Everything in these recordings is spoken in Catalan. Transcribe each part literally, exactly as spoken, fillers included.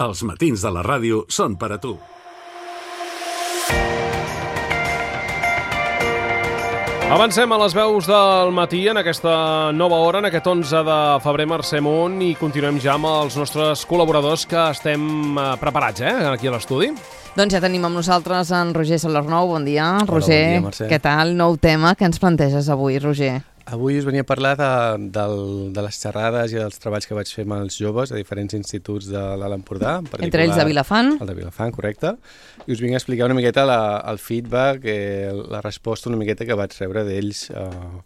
Els matins de la ràdio són per a tu. Avancem a les veus del matí en aquesta nova hora, en aquest onze de febrer, Mercè Munt, i continuem ja amb els nostres col·laboradors que estem preparats, eh, aquí a l'estudi. Doncs ja tenim amb nosaltres en Roger Salarnou. Bon dia, Hola, Roger. bon dia, Mercè. Què tal? Nou tema que ens planteges avui, Roger? Avui us venia a parlar de, de, de les xerrades i dels treballs que vaig fer amb els joves a diferents instituts de l'Alt Empordà. Entre ells de Vilafant. El de Vilafant, correcte. I us vinc a explicar una miqueta la, el feedback, eh, la resposta una miqueta que vaig rebre d'ells, eh,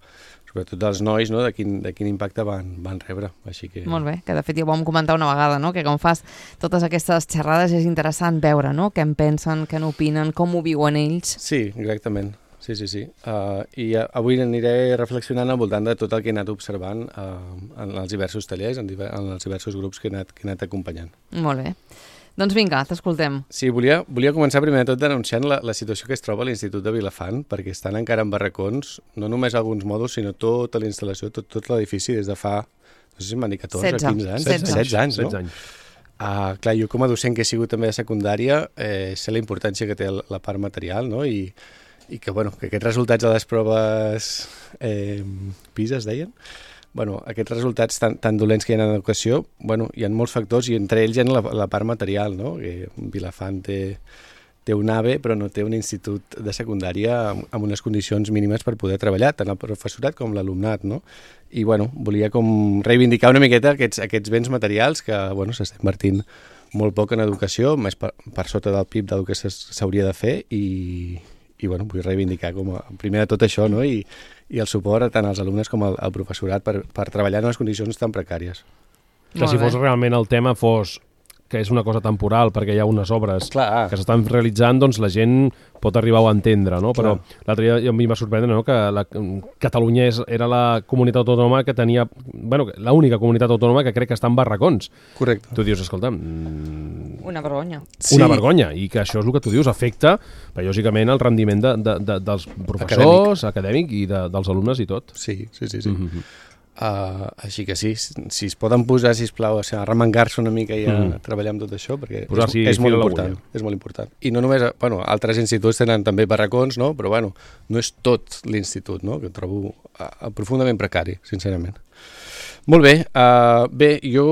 sobretot dels nois, no? de, quin, de quin impacte van, van rebre. Així que... Molt bé, que de fet ja ho vam comentar una vegada, no? Que quan fas totes aquestes xerrades és interessant veure, no? Què en pensen, què n'opinen, com ho viuen ells. Sí, exactament. Sí, sí, sí. Uh, I uh, avui aniré reflexionant al voltant de tot el que he anat observant uh, en els diversos tallers, en, diver en els diversos grups que he anat, que he anat acompanyant. Molt bé. Doncs vinga, t'escoltem. Sí, volia, volia començar primer de tot denunciant la, la situació que es troba a l'Institut de Vilafant, perquè estan encara en barracons, no només alguns mòduls, sinó tota la instal·lació, tot, tot l'edifici des de fa, no sé si m'han dit catorze o quinze anys. setze. setze anys, no? setze anys. Uh, clar, jo com a docent que he sigut també de secundària, eh, sé la importància que té la part material, no? I i que, bueno, que aquests resultats de les proves eh, PISA es deien, bueno, aquests resultats tan, tan dolents que hi ha en l'educació, bueno, hi ha molts factors i entre ells hi ha la, la part material, no? Que Vilafant té, té un A V E, però no té un institut de secundària amb, amb unes condicions mínimes per poder treballar, tant el professorat com l'alumnat, no? I, bueno, volia com reivindicar una miqueta aquests, aquests béns materials que, bueno, s'està invertint molt poc en educació, més per, per sota del P I B del que s'hauria de fer i... i bueno, vull reivindicar com a, primer de tot això, no? I, i el suport tant als alumnes com al, al professorat per, per treballar en unes condicions tan precàries. Que si fos realment el tema fos que és una cosa temporal perquè hi ha unes obres Clar. que s'estan realitzant, doncs la gent pot arribar a entendre, no? Però l'altre dia a mi em va sorprendre, no?, que la, Catalunya és, era la comunitat autònoma que tenia, bueno, l'única comunitat autònoma que crec que està en barracons. Correcte. Tu dius, escolta... Mm, una vergonya. Sí. Una vergonya, i que això és el que tu dius, afecta, lògicament, el rendiment de, de, de, dels professors, acadèmic, acadèmic i de, dels alumnes i tot. Sí, sí, sí. sí. Mm-hmm. Uh, així que sí, si es poden posar, sisplau, o sigui, a remengar-se una mica i a mm. treballar amb tot això, perquè és, és molt important, és molt important. I no només, bueno, altres instituts tenen també barracons, no? Però bueno, no és tot l'institut, no? Que trobo uh, profundament precari, sincerament. Molt bé, uh, bé, jo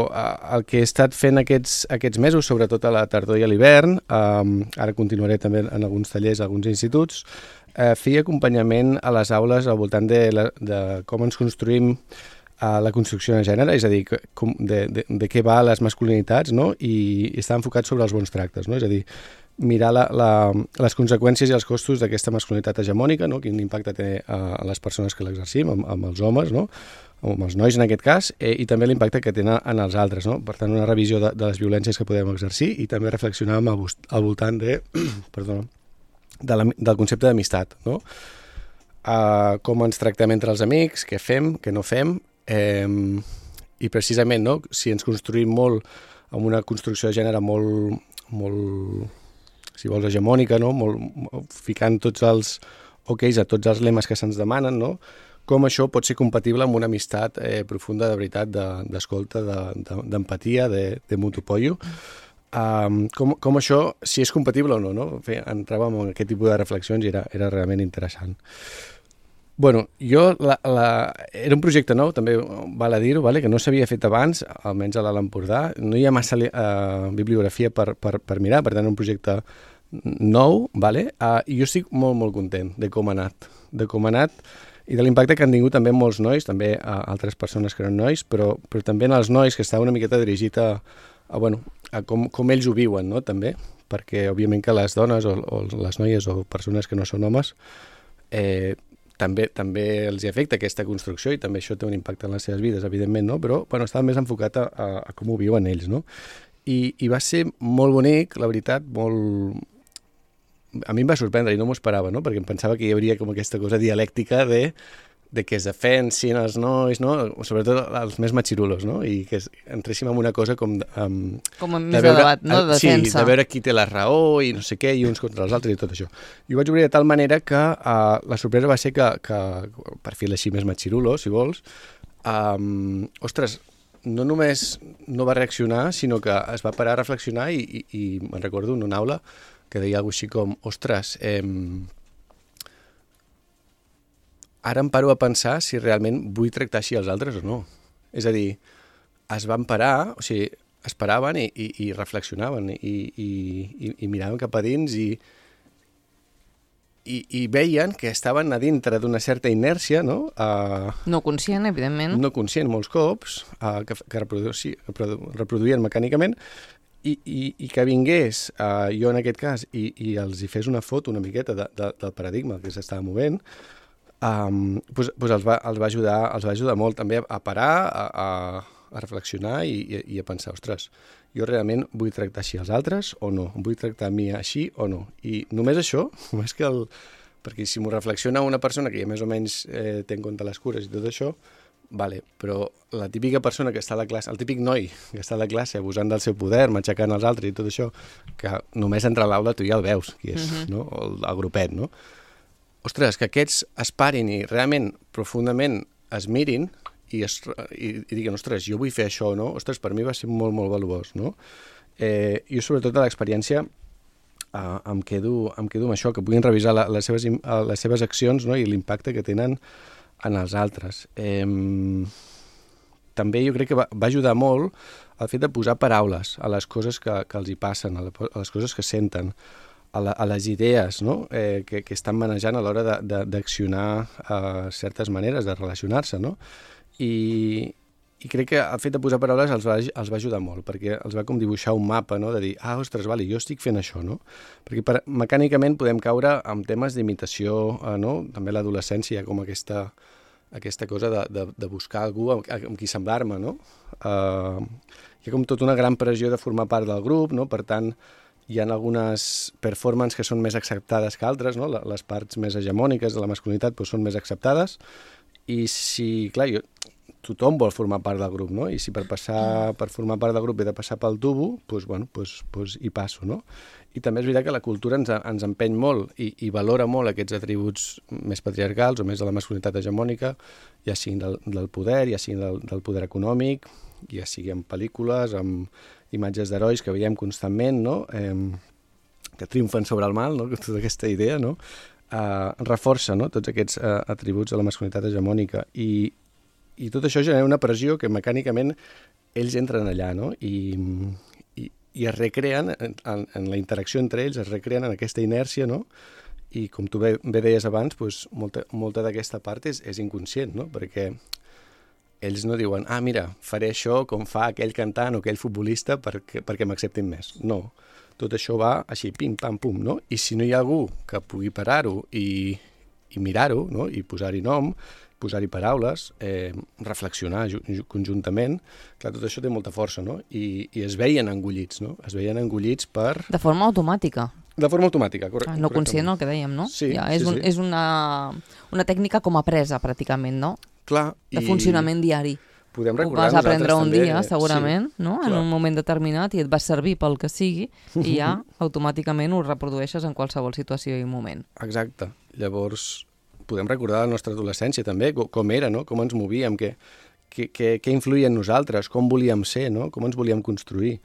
uh, el que he estat fent aquests, aquests mesos, sobretot a la tardor i a l'hivern, um, ara continuaré també en alguns tallers, alguns instituts, Uh, feia acompanyament a les aules al voltant de, la, de com ens construïm uh, la construcció de gènere, és a dir, com, de, de, de què va les masculinitats, no? I, i està enfocat sobre els bons tractes, no? És a dir, mirar la, la, les conseqüències i els costos d'aquesta masculinitat hegemònica, no? Quin impacte té uh, a les persones que l'exercim, amb, amb els homes, no? Amb els nois en aquest cas, eh, i també l'impacte que tenen en els altres, no? Per tant, una revisió de, de les violències que podem exercir i també reflexionar al, al voltant de... perdona, De la, del concepte d'amistat, no? Uh, com ens tractem entre els amics, què fem, què no fem, eh, i precisament, no? Si ens construïm molt amb una construcció de gènere molt, molt si vols, hegemònica, no? Molt, ficant tots els oquis a tots els lemes que se'ns demanen, no? Com això pot ser compatible amb una amistat eh, profunda de veritat, d'escolta, de, d'empatia, de, de, de mutu apoyo. Um, com, com això, si és compatible o no, no? Fe, entràvem en aquest tipus de reflexions i era, era realment interessant. Bueno, jo, la, la, era un projecte nou, també val a dir-ho, vale? Que no s'havia fet abans, almenys a l'Alt Empordà, no hi ha massa uh, bibliografia per, per, per mirar, per tant, un projecte nou, vale? Uh, i jo estic molt, molt content de com ha anat, de com ha anat i de l'impacte que han tingut també molts nois, també uh, altres persones que eren nois, però, però també en els nois que estava una miqueta dirigit a A, bueno, a com, com ells ho viuen, no? També, perquè òbviament que les dones o, o les noies o persones que no són homes eh, també, també els hi afecta aquesta construcció i també això té un impacte en les seves vides, evidentment, no? Però bueno, estava més enfocat a, a, a com ho viuen ells, no? I, i va ser molt bonic, la veritat, molt... A mi em va sorprendre i no m'ho esperava, no? Perquè em pensava que hi hauria com aquesta cosa dialèctica de... de que es defensin els nois, no? Sobretot els més matxirulos, no? I que entréssim en una cosa com... Um, com més de, veure, de debat, no? De defensa. Sí, de veure qui té la raó i no sé què, i uns contra els altres i tot això. I ho vaig obrir de tal manera que uh, la sorpresa va ser que, que perfil així més matxirulo, si vols, um, ostres, no només no va reaccionar, sinó que es va parar a reflexionar i, i, i me'n recordo en una aula que deia alguna cosa així com, ostres, eh, ara em paro a pensar si realment vull tractar així els altres o no. És a dir, es van parar, o sigui, es paraven i, i, i reflexionaven i, i, i, i miraven cap a dins i, i, i veien que estaven a dintre d'una certa inèrcia, no? Uh, no conscient, evidentment. No conscient molts cops, uh, que, que, reprodu que reproduïen mecànicament i, i, i que vingués, uh, jo en aquest cas, i, i els hi fes una foto una miqueta de, de, del paradigma que s'estava movent, um, pues, pues els, va, els, va ajudar, els va ajudar molt també a parar, a, a a reflexionar i, i, i a pensar, ostres, jo realment vull tractar així els altres o no? Vull tractar a mi així o no? I només això, només que el... Perquè si m'ho reflexiona una persona que ja més o menys eh, té en compte les cures i tot això, vale, però la típica persona que està a la classe, el típic noi que està a la classe abusant del seu poder, matxacant els altres i tot això, que només entra a l'aula tu ja el veus, qui és, uh-huh. no? O el, el grupet, no? Ostres, que aquests es parin i realment, profundament, es mirin i, es, i, i diguin, ostres, jo vull fer això, no? Ostres, per mi va ser molt, molt valuós, no? Eh, jo, sobretot, a l'experiència eh, em, quedo, em quedo amb això, que puguin revisar la, les, seves, les seves accions, no? I l'impacte que tenen en els altres. Eh, també jo crec que va, va ajudar molt el fet de posar paraules a les coses que, que els hi passen, a, la, a les coses que senten, a, la, a les idees, no? eh, que, que estan manejant a l'hora d'accionar eh, certes maneres de relacionar-se, no? I, i crec que el fet de posar paraules els va, els va ajudar molt, perquè els va com dibuixar un mapa, no? De dir, ah, ostres, vale, jo estic fent això, no? Perquè per, mecànicament podem caure en temes d'imitació, eh, no? També l'adolescència, com aquesta, aquesta cosa de, de, de buscar algú amb, amb qui semblar-me, no? Uh, hi ha com tota una gran pressió de formar part del grup, no? Per tant, hi ha algunes performances que són més acceptades que altres, no? Les parts més hegemòniques de la masculinitat doncs, són més acceptades, i si, clar, jo, tothom vol formar part del grup, no? I si per passar, per formar part del grup he de passar pel tubo, doncs, bueno, doncs, doncs hi passo, no? I també és veritat que la cultura ens, ens empeny molt i, i valora molt aquests atributs més patriarcals o més de la masculinitat hegemònica, ja siguin del, del poder, ja siguin del, del poder econòmic, ja sigui en pel·lícules, amb imatges d'herois que veiem constantment, no? Eh, que triomfen sobre el mal, no? Tota aquesta idea, no? Uh, reforça, no? Tots aquests uh, atributs de la masculinitat hegemònica i, i tot això genera una pressió que mecànicament ells entren allà, no? I, i, i es recreen, en, en la interacció entre ells, es recreen en aquesta inèrcia, no? I com tu bé, bé deies abans, doncs, molta, molta d'aquesta part és, és inconscient, no? Perquè ells no diuen, ah, mira, faré això com fa aquell cantant o aquell futbolista perquè, perquè m'acceptin més. No. Tot això va així, pim, pam, pum, no? I si no hi ha algú que pugui parar-ho i, i mirar-ho, no? I posar-hi nom, posar-hi paraules, eh, reflexionar conjuntament, clar, tot això té molta força, no? I, i es veien engollits, no? Es veien engollits per... De forma automàtica. De forma automàtica, correcte. Ah, no conscient, el que dèiem, no? Sí, ja, és sí, un, sí. És una, una tècnica com apresa, pràcticament, no? Clar. De funcionament i... diari. Podem ho vas aprendre un també, dia, segurament, sí, no? En un moment determinat, i et va servir pel que sigui, i ja automàticament ho reprodueixes en qualsevol situació i moment. Exacte. Llavors, podem recordar la nostra adolescència també, com era, no? Com ens movíem, què, què, què, què influïa en nosaltres, com volíem ser, no? Com ens volíem construir.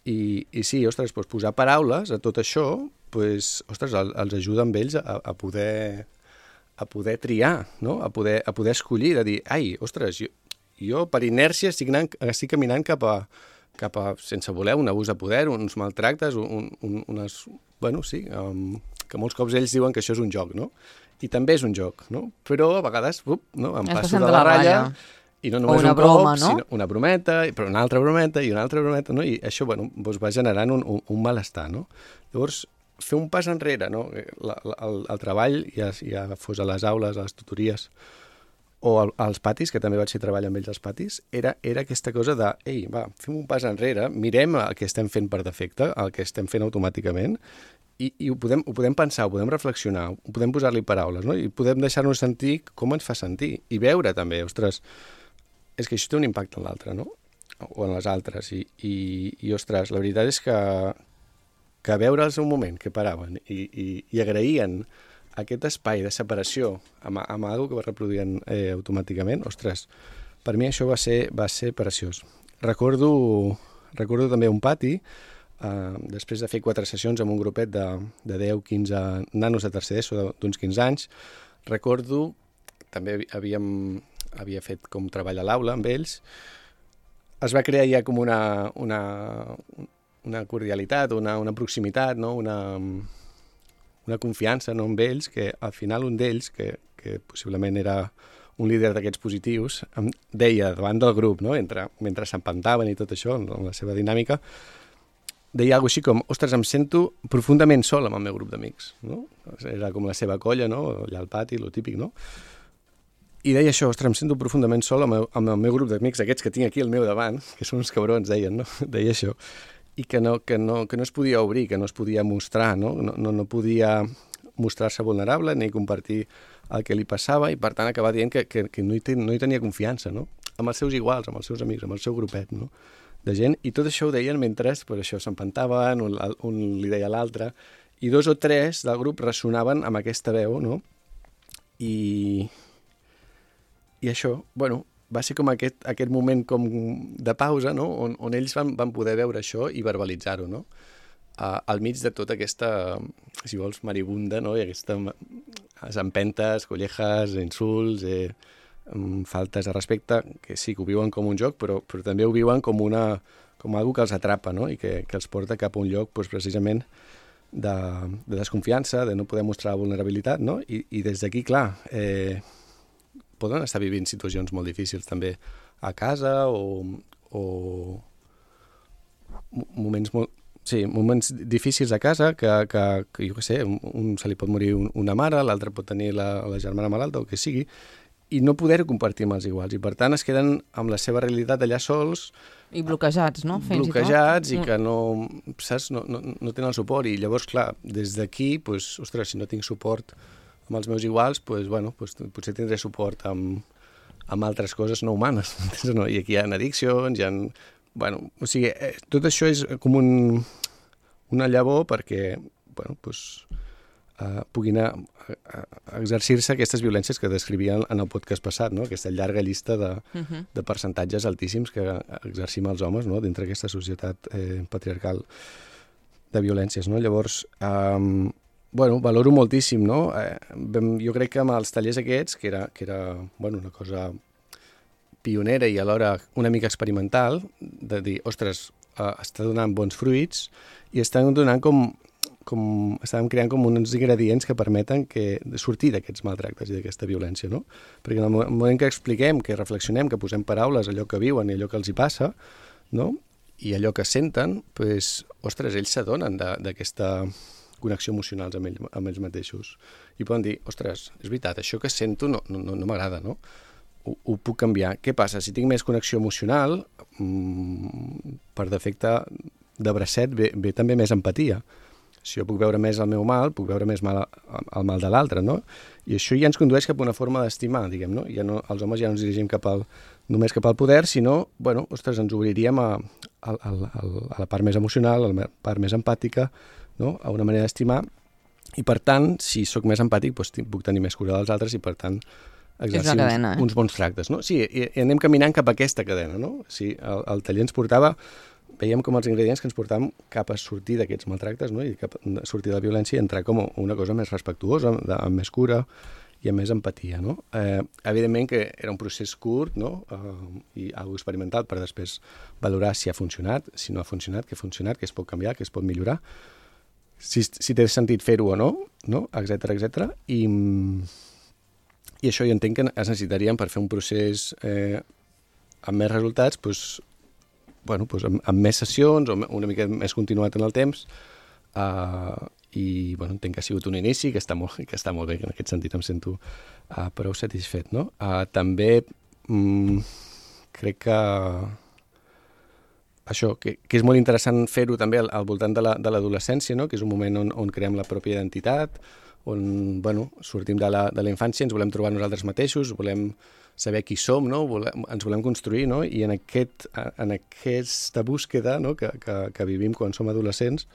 I, i sí, ostres, doncs posar paraules a tot això, doncs, ostres, els ajuda amb ells a, a poder a poder triar, no? A poder, a poder escollir, de dir, ai, ostres, jo, jo per inèrcia estic, anant, estic caminant cap a, cap a, sense voler, un abús de poder, uns maltractes, un, un, unes... Bueno, sí, um, que molts cops ells diuen que això és un joc, no? I també és un joc, no? Però a vegades, up, no? Em passo de la, la ratlla, i no només una un broma, cop, no? sinó una brometa, però una altra brometa, i una altra brometa, no? I això, bueno, doncs va generant un, un, un malestar, no? Llavors, fer un pas enrere, no? La, la, el, el treball, ja, ja fos a les aules, a les tutories, o al, als patis, que també vaig fer treball amb ells als patis, era, era aquesta cosa de, ei, va, fem un pas enrere, mirem el que estem fent per defecte, el que estem fent automàticament, i, i ho, podem, ho podem pensar, ho podem reflexionar, ho podem posar-li paraules, no? I podem deixar-nos sentir com ens fa sentir, i veure també, ostres, és que això té un impacte en l'altre, no? O en les altres, i, i, i ostres, la veritat és que, que veure'ls un moment, que paraven, i, i, i agraïen aquest espai de separació amb, amb alguna que va reproduint eh, automàticament, ostres, per mi això va ser, va ser preciós. recordo, recordo també un pati, uh, després de fer quatre sessions amb un grupet de, de deu quinze nanos de tercer d'ESO d'uns quinze anys, recordo, també havíem, havia fet com treball a l'aula amb ells, es va crear ja com una, una, una cordialitat, una, una proximitat, no? una, una confiança, no, amb ells, que al final un d'ells, que, que possiblement era un líder d'aquests positius, em deia davant del grup, no? Entre, mentre s'empantaven i tot això, en la seva dinàmica, deia alguna cosa així com, ostres, em sento profundament sol amb el meu grup d'amics, no? Era com la seva colla, no? Allà al pati, lo típic, no? I deia això, ostres, em sento profundament sol amb el, amb el meu grup d'amics, aquests que tinc aquí al meu davant, que són uns cabrons, deien, no? Deia això. I que no, que no, que no es podia obrir, que no es podia mostrar, no? No, no, no podia mostrar-se vulnerable ni compartir el que li passava i, per tant, acabar dient que, que, que no, hi ten, no hi tenia confiança, no? Amb els seus iguals, amb els seus amics, amb el seu grupet, no? De gent. I tot això ho deien mentre, per això, s'empantaven, un, un li deia a l'altre, i dos o tres del grup ressonaven amb aquesta veu, no? I, i això, bueno, va ser com aquest, aquest moment com de pausa, no? On, on ells van, van poder veure això i verbalitzar-ho, no? Uh, al mig de tota aquesta, si vols, maribunda, no? I aquesta empentes, collejas, insults, eh, faltes de respecte, que sí que ho viuen com un joc, però, però també ho viuen com una com algo que els atrapa, no? I que, que els porta cap a un lloc, doncs, precisament, de, de desconfiança, de no poder mostrar vulnerabilitat, no? I, i des d'aquí, clar, eh, poden estar vivint situacions molt difícils també a casa o, o moments molt Sí, moments difícils a casa, que, que, que jo què sé, un, un se li pot morir un, una mare, l'altre pot tenir la, la germana malalta o el que sigui, i no poder-ho compartir amb els iguals. I per tant es queden amb la seva realitat allà sols. I bloquejats, no? Fins bloquejats i, i que no, saps, no, no, no tenen el suport. I llavors, clar, des d'aquí, pues, ostres, si no tinc suport amb els meus iguals, pues, bueno, pues, potser tindré suport amb, amb altres coses no humanes. No? I aquí hi ha addiccions, hi ha... Bueno, o sigui, eh, tot això és com un, una llavor perquè, bueno, pues, eh, puguin a, a, a exercir-se aquestes violències que descrivien en el podcast passat, no? Aquesta llarga llista de, uh-huh. de percentatges altíssims que exercim els homes, no? Dintre d'aquesta societat eh, patriarcal de violències, no? Llavors, eh, bueno, valoro moltíssim, no? Eh, jo crec que amb els tallers aquests, que era, que era bueno, una cosa pionera i alhora una mica experimental, de dir, ostres, uh, està donant bons fruits i estan donant com, com, estàvem creant com uns ingredients que permeten que, sortir d'aquests maltractes i d'aquesta violència, no? Perquè en el moment que expliquem, que reflexionem, que posem paraules a allò que viuen i allò que els hi passa, no? I allò que senten, pues, ostres, ells s'adonen d'aquesta connexió emocional amb ells, amb ells mateixos. I poden dir, ostres, és veritat, això que sento no, no, no m'agrada, no? Ho, ho puc canviar. Què passa? Si tinc més connexió emocional, mmm, per defecte de bracet ve, ve també més empatia. Si jo puc veure més el meu mal, puc veure més mal, el mal de l'altre, no? I això ja ens condueix cap a una forma d'estimar, diguem, no? Ja no, els homes ja no ens dirigim cap al, només cap al poder, sinó, bueno, ostres, ens obriríem a, a, a, a la part més emocional, a la part més empàtica, no? A una manera d'estimar, i per tant, si sóc més empàtic, doncs puc tenir més cura dels altres i per tant exercir cadena, uns, eh? uns bons tractes, no? Sí, i, i anem caminant cap a aquesta cadena, no? Sí, el, el taller ens portava, veiem com els ingredients que ens portàvem cap a sortir d'aquests maltractes, no? I cap a sortir de la violència i entrar com una cosa més respectuosa, de, amb més cura i amb més empatia, no? Eh, evidentment que era un procés curt, no? Eh, i algo experimental per després valorar si ha funcionat, si no ha funcionat, què ha funcionat, què es pot canviar, què es pot millorar, si, si té sentit fer-ho o no, no? Etcètera, etcètera. I... I això jo entenc que es necessitaríem per fer un procés eh, amb més resultats, doncs, bueno, doncs amb, amb més sessions o una mica més continuat en el temps. Uh, I bueno, entenc que ha sigut un inici, que està molt, que està molt bé, que en aquest sentit em sento uh, prou satisfet. No? Uh, també mm, crec que això, que, que és molt interessant fer-ho també al, al voltant de l'adolescència, no? Que és un moment on, on creem la pròpia identitat, on bueno, sortim de la, de la infància, ens volem trobar nosaltres mateixos, volem saber qui som, no? volem, ens volem construir, no? I en, aquest, en aquesta búsqueda, no? que, que, que vivim quan som adolescents,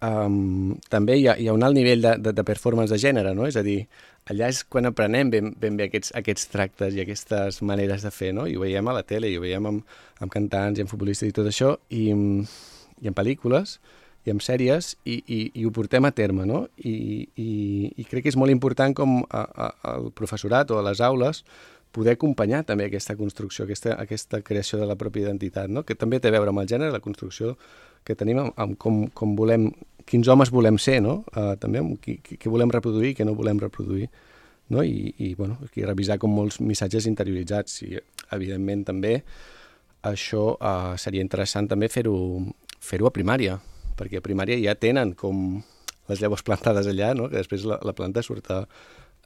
um, també hi ha, hi ha un alt nivell de, de, de performance de gènere, no? És a dir, allà és quan aprenem ben, ben bé aquests, aquests tractes i aquestes maneres de fer, no? I ho veiem a la tele, i ho veiem amb, amb cantants i amb futbolistes i tot això, i, i en pel·lícules, i en sèries, i, i, i ho portem a terme, no? I, i, i crec que és molt important com a, a, al professorat o a les aules poder acompanyar també aquesta construcció, aquesta, aquesta creació de la pròpia identitat, no? Que també té a veure amb el gènere, la construcció que tenim amb, amb com, com volem, quins homes volem ser, no? Uh, també amb qui, qui, qui volem reproduir i què no volem reproduir, no? I, i bueno, aquí revisar com molts missatges interioritzats, i evidentment també això uh, seria interessant també fer-ho fer-ho a primària, perquè a primària ja tenen com les llavors plantades allà, no? Que després la, la planta surt a,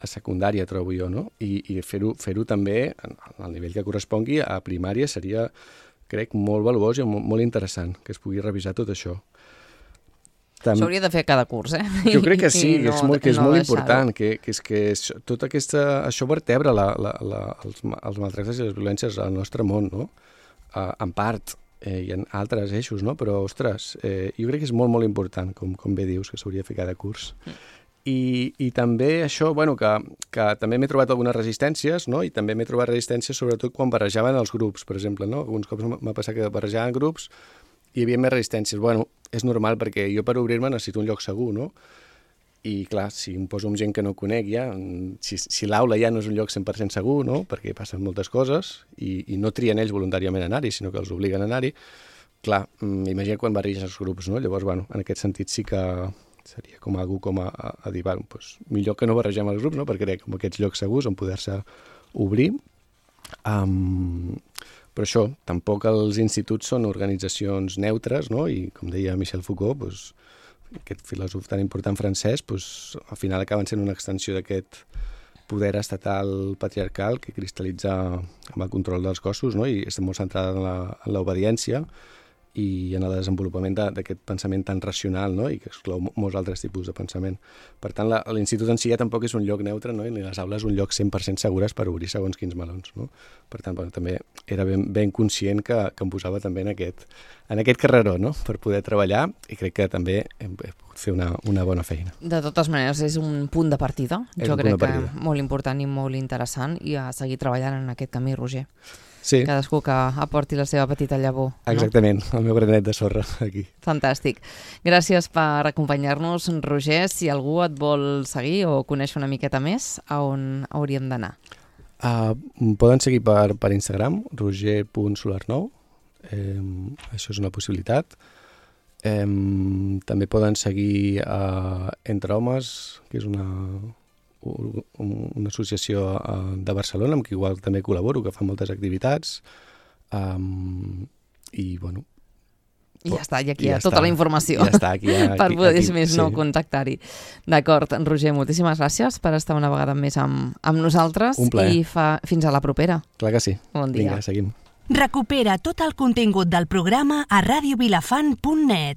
a secundària, trobo jo, no? I, i fer-ho fer-ho també al nivell que correspongui a primària seria, crec, molt valuós i molt, molt interessant que es pugui revisar tot això. Tam... Això hauria de fer cada curs, eh? Jo crec que sí, que és molt, que és no molt important, que, que és que això, tot aquesta, això vertebra la, la, la, els, els maltractes i les violències al nostre món, no? Uh, en part, Eh, hi ha altres eixos, no? Però, ostres, eh, jo crec que és molt, molt important, com, com bé dius, que s'hauria de fer cada curs. Mm. I, i també això, bueno, que, que també m'he trobat algunes resistències, no? I també m'he trobat resistències sobretot quan barrejaven els grups, per exemple, no? Alguns cops m'ha passat que barrejaven grups i hi havia més resistències. Bueno, és normal perquè jo per obrir-me necessito un lloc segur, no? I clar, si em poso amb gent que no conec ja, si, si l'aula ja no és un lloc cent per cent segur, no? Perquè passen moltes coses i, i no trien ells voluntàriament a anar-hi, sinó que els obliguen a anar-hi, clar, imagina quan barreges els grups, no? Llavors, bueno, en aquest sentit sí que seria com algú com a, a, a dir, bueno, doncs, millor que no barregem els grups, no? Perquè crear com aquests llocs segurs on poder-se obrir. Um, però això, tampoc els instituts són organitzacions neutres, no? I com deia Michel Foucault, doncs, aquest filòsof tan important francès, doncs, al final acaben sent una extensió d'aquest poder estatal patriarcal que cristal·litza amb el control dels cossos, no? I està molt centrada en l'obediència i en el desenvolupament d'aquest pensament tan racional, no? I que exclou molts altres tipus de pensament. Per tant, l'institut en si ja tampoc és un lloc neutre, no? I ni les aules un lloc cent per cent segures per obrir segons quins melons, no? Per tant, bueno, també era ben, ben conscient que, que em posava també en aquest, en aquest carreró, no? Per poder treballar, i crec que també hem, he pogut fer una, una bona feina. De totes maneres, és un punt de partida. És jo crec que molt important i molt interessant, i a seguir treballant en aquest camí, Roger. Sí. Cadascú que aporti la seva petita llavor. Exactament, no? El meu granet de sorra aquí. Fantàstic. Gràcies per acompanyar-nos, Roger. Si algú et vol seguir o conèixer una miqueta més, a on hauríem d'anar? Uh, poden seguir per, per Instagram, roger punt solarnou. Eh, això és una possibilitat. Eh, també poden seguir uh, Entre Homes, que és una... una associació de Barcelona amb qui igual també col·laboro, que fa moltes activitats, um, i bueno... I ja està, i aquí hi ha tota la informació ja està, aquí, aquí, per poder, aquí, més sí. no, contactar-hi. D'acord, Roger, moltíssimes gràcies per estar una vegada més amb, amb nosaltres. Un plaer. I fa, fins a la propera. Clar que sí. Bon dia. Vinga, seguim. Recupera tot el contingut del programa a radio vilafant punt net.